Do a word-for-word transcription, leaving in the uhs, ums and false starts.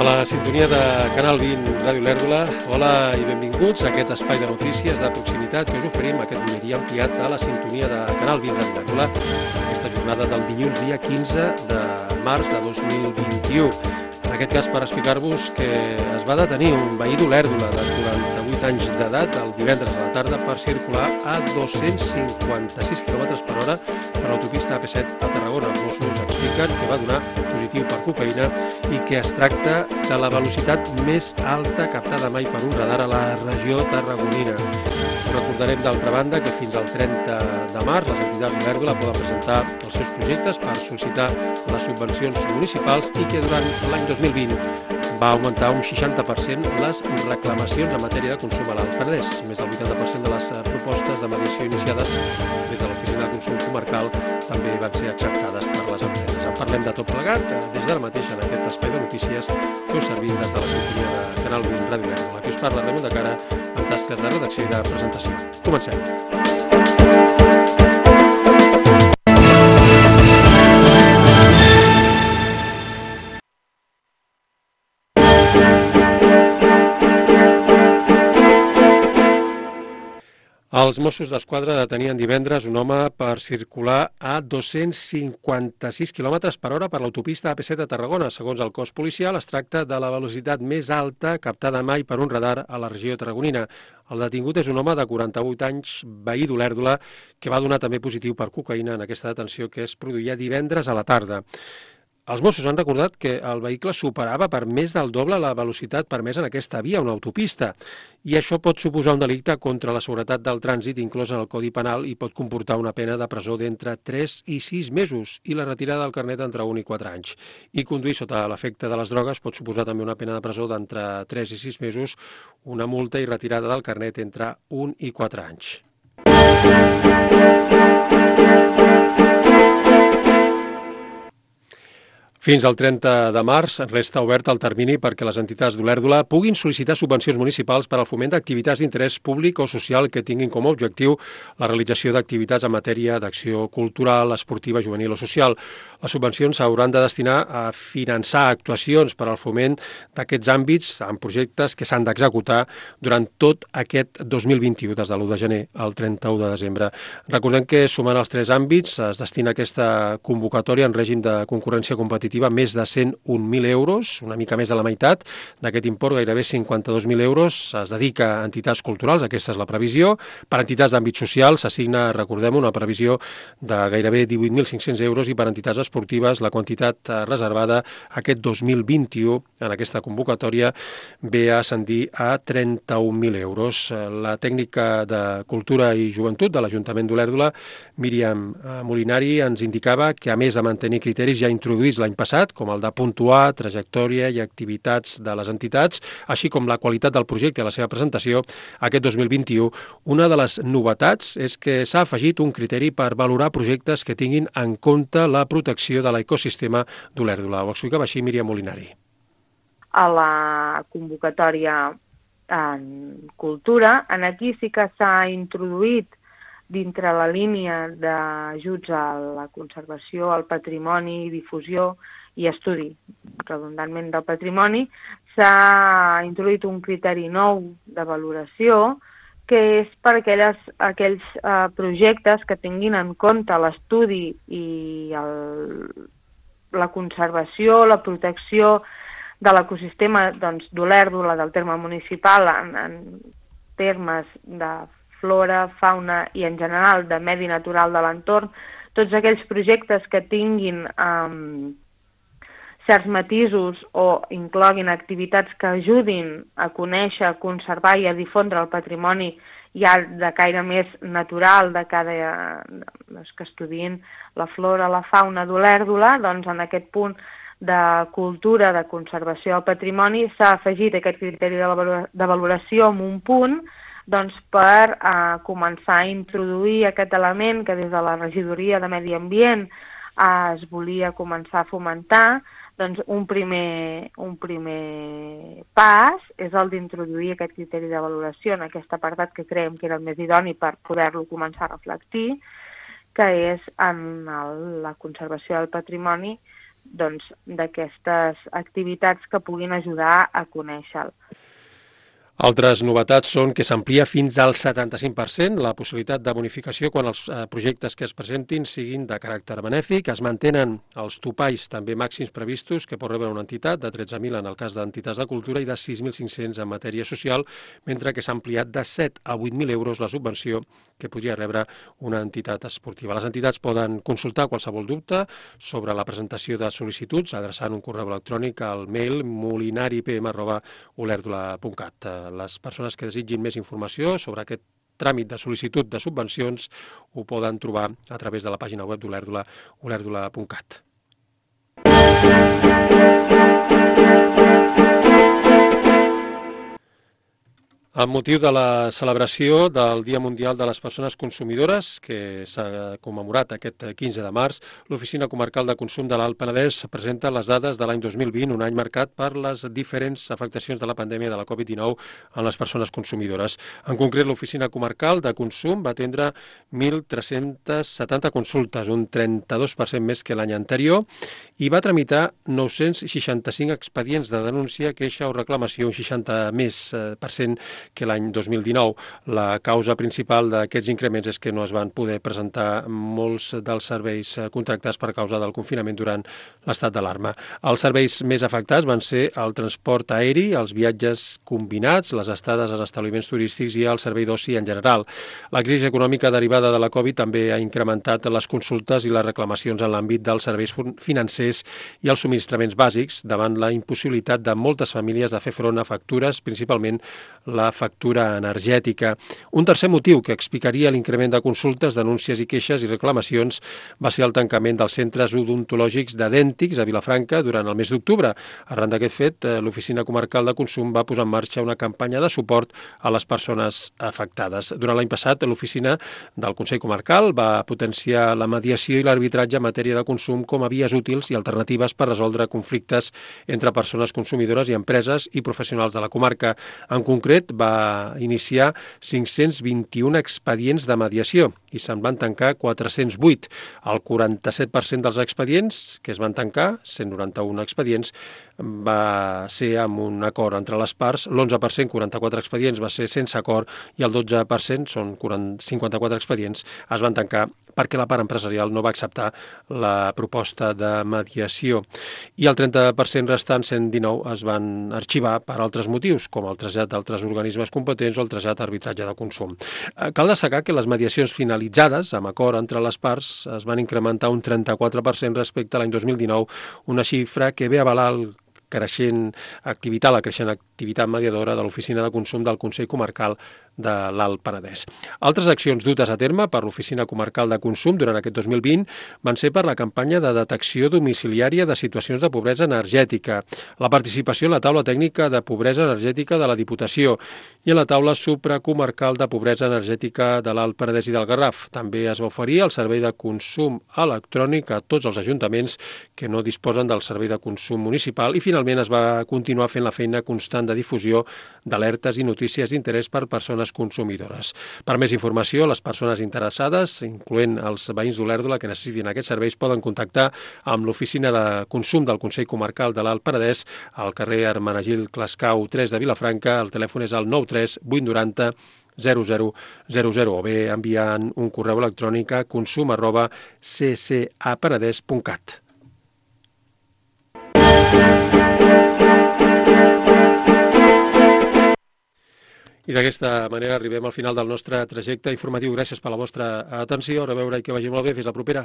A la sintonia de Canal vint Ràdio Lèrdola, hola i benvinguts a aquest espai de notícies de proximitat que us oferim aquest butlletí ampliat a la sintonia de Canal vint Ràdio Lèrdola, aquesta jornada del dilluns dia quinze de març de dos mil vint-i-u. En aquest cas per explicar-vos que es va detenir un veí d'Olèrdola de quaranta-vuit anys d'edat el divendres a la tarda per circular a dos-cents cinquanta-sis quilòmetres per hora per l'autopista A P set a Tarragona. Els Mossos expliquen que va donar positiu per cocaïna i que es tracta de la velocitat més alta captada mai per un radar a la regió tarragonina. Recordarem d'altra banda que fins al trenta de març les entitats d'Olèrdola poden presentar els seus projectes per sol·licitar les subvencions municipals i que durant l'any dos mil vint va augmentar un seixanta per cent les reclamacions en matèria de consum a l'Alt Penedès. Més del vuitanta per cent de les propostes de mediació iniciades des de l'Oficina de Consum Comarcal també van ser acceptades per les empreses. En parlem de tot plegat des d'ara mateix en aquest espai de notícies que us servim des de la sintonia de Canal vint Ràdio Lèrdola. Aquí us parla Ramon de Cara en tasques de redacció i de presentació. Comencem. Els Mossos d'Esquadra detenien divendres un home per circular a dos-cents cinquanta-sis quilòmetres per hora per l'autopista A P set a Tarragona. Segons el cos policial, es tracta de la velocitat més alta captada mai per un radar a la regió tarragonina. El detingut és un home de quaranta-vuit anys, veí d'Olèrdola, que va donar també positiu per cocaïna en aquesta detenció que es produïa divendres a la tarda. Els Mossos han recordat que el vehicle superava per més del doble la velocitat permesa en aquesta via, una autopista, i això pot suposar un delicte contra la seguretat del trànsit inclòs en el Codi Penal i pot comportar una pena de presó d'entre tres i sis mesos i la retirada del carnet entre un i quatre anys. I conduir sota l'efecte de les drogues pot suposar també una pena de presó d'entre tres i sis mesos, una multa i retirada del carnet entre un i quatre anys. Fins al trenta de març resta obert el termini perquè les entitats d'Olèrdola puguin sol·licitar subvencions municipals per al foment d'activitats d'interès públic o social que tinguin com a objectiu la realització d'activitats en matèria d'acció cultural, esportiva, juvenil o social. Les subvencions s'hauran de destinar a finançar actuacions per al foment d'aquests àmbits en projectes que s'han d'executar durant tot aquest dos mil vint-i-u, des de l'u de gener al trenta-u de desembre. Recordem que sumant els tres àmbits es destina aquesta convocatòria en règim de concurrència competitiva més de cent un mil euros, una mica més de la meitat d'aquest import, gairebé cinquanta-dos mil euros, es dedica a entitats culturals, aquesta és la previsió. Per entitats d'àmbit social s'assigna, recordem, una previsió de gairebé divuit mil cinc-cents euros i per entitats esportives la quantitat reservada aquest dos mil vint-i-u en aquesta convocatòria ve a ascendir a trenta-un mil euros. La tècnica de Cultura i Joventut de l'Ajuntament d'Olèrdola, Míriam Molinari, ens indicava que a més de mantenir criteris ja introduïts l'any passat, com el de puntuar, trajectòria i activitats de les entitats, així com la qualitat del projecte i la seva presentació, aquest dos mil vint-i-u, una de les novetats és que s'ha afegit un criteri per valorar projectes que tinguin en compte la protecció de l'ecosistema d'Olèrdola. Ho explicava així Míriam Molinari. A la convocatòria en cultura, en aquí sí que s'ha introduït dintre la línia d'ajuts a la conservació, al patrimoni, difusió i estudi, redundantment del patrimoni, s'ha introduït un criteri nou de valoració que és per aquelles, aquells eh, projectes que tinguin en compte l'estudi i el, la conservació, la protecció de l'ecosistema doncs, d'Olèrdola, del terme municipal, en, en termes de flora, fauna i en general de medi natural de l'entorn, tots aquells projectes que tinguin um, certs matisos o incloguin activitats que ajudin a conèixer, a conservar i a difondre el patrimoni ja de caire més natural, de cada, doncs, que estudien la flora, la fauna d'Olèrdola, doncs en aquest punt de cultura, de conservació del patrimoni, s'ha afegit aquest criteri de valoració amb un punt doncs, per eh, començar a introduir aquest element que des de la regidoria de Medi Ambient eh, es volia començar a fomentar. Doncs un primer, un primer pas és el d'introduir aquest criteri de valoració en aquest apartat que creiem que era el més idoni per poder-lo començar a reflectir, que és en el, la conservació del patrimoni doncs, d'aquestes activitats que puguin ajudar a conèixer-lo. Altres novetats són que s'amplia fins al setanta-cinc per cent la possibilitat de bonificació quan els projectes que es presentin siguin de caràcter benèfic. Es mantenen els topalls també màxims previstos que pot rebre una entitat, de tretze mil en el cas d'entitats de cultura i de sis mil cinc-cents en matèria social, mentre que s'ha ampliat de set a vuit mil euros la subvenció que podria rebre una entitat esportiva. Les entitats poden consultar qualsevol dubte sobre la presentació de sol·licituds adreçant un correu electrònic al mail molinaripm arroba olerdula punt cat. Les persones que desitgin més informació sobre aquest tràmit de sol·licitud de subvencions ho poden trobar a través de la pàgina web d'Olèrdula, olèrdula punt cat. Amb motiu de la celebració del Dia Mundial de les Persones Consumidores, que s'ha commemorat aquest quinze de març, l'Oficina Comarcal de Consum de l'Alt Penedès presenta les dades de l'any dos mil vint, un any marcat per les diferents afectacions de la pandèmia de la covid dinou en les persones consumidores. En concret, l'Oficina Comarcal de Consum va atendre mil tres-cents setanta consultes, un trenta-dos per cent més que l'any anterior, i va tramitar nou-cents seixanta-cinc expedients de denúncia, queixa o reclamació, un seixanta més per cent que l'any dos mil dinou. La causa principal d'aquests increments és que no es van poder presentar molts dels serveis contractats per causa del confinament durant l'estat d'alarma. Els serveis més afectats van ser el transport aeri, els viatges combinats, les estades als establiments turístics i el servei d'oci en general. La crisi econòmica derivada de la Covid també ha incrementat les consultes i les reclamacions en l'àmbit dels serveis financers i els subministraments bàsics davant la impossibilitat de moltes famílies de fer front a factures, principalment la factura energètica. Un tercer motiu que explicaria l'increment de consultes, denúncies i queixes i reclamacions va ser el tancament dels centres odontològics de Dèntics a Vilafranca durant el mes d'octubre. Arran d'aquest fet, l'Oficina Comarcal de Consum va posar en marxa una campanya de suport a les persones afectades. Durant l'any passat, l'Oficina del Consell Comarcal va potenciar la mediació i l'arbitratge en matèria de consum com a vies útils i alternatives per resoldre conflictes entre persones consumidores i empreses i professionals de la comarca. En concret, va iniciar cinc-cents vint-i-un expedients de mediació i se'n van tancar quatre-cents vuit. El quaranta-set per cent dels expedients que es van tancar, cent noranta-un expedients, va ser amb un acord entre les parts, l'onze per cent, quaranta-quatre expedients, va ser sense acord i el dotze per cent, són cinquanta-quatre expedients, es van tancar perquè la part empresarial no va acceptar la proposta de mediació. I el trenta per cent restant, cent dinou, es van arxivar per altres motius, com el trasllat d'altres organismes competents o el trasllat a arbitratge de consum. Cal destacar que les mediacions finalitzades, amb acord entre les parts, es van incrementar un trenta-quatre per cent respecte a l'any dos mil dinou, una xifra que ve a avalar el creixent activitat, la creixent activitat mediadora de l'Oficina de Consum del Consell Comarcal de l'Alt Penedès. Altres accions dutes a terme per l'Oficina Comarcal de Consum durant aquest dos mil vint van ser per la campanya de detecció domiciliària de situacions de pobresa energètica, la participació en la taula tècnica de pobresa energètica de la Diputació i en la taula supracomarcal de pobresa energètica de l'Alt Penedès i del Garraf. També es va oferir el servei de consum electrònic a tots els ajuntaments que no disposen del servei de consum municipal i finalment es va continuar fent la feina constant de difusió d'alertes i notícies d'interès per persones consumidores. Per més informació, les persones interessades, incloent els veïns d'Olèrdola que necessitin aquests serveis, poden contactar amb l'Oficina de Consum del Consell Comarcal de l'Alt Penedès al carrer Hermenegil Clascau tres de Vilafranca. El telèfon és el nou tres vuit nou zero zero zero zero zero o bé enviant un correu electrònic a consum arroba c c a penedès punt cat. I d'aquesta manera arribem al final del nostre trajecte informatiu. Gràcies per la vostra atenció. A reveure i que vagi molt bé. Fins la propera.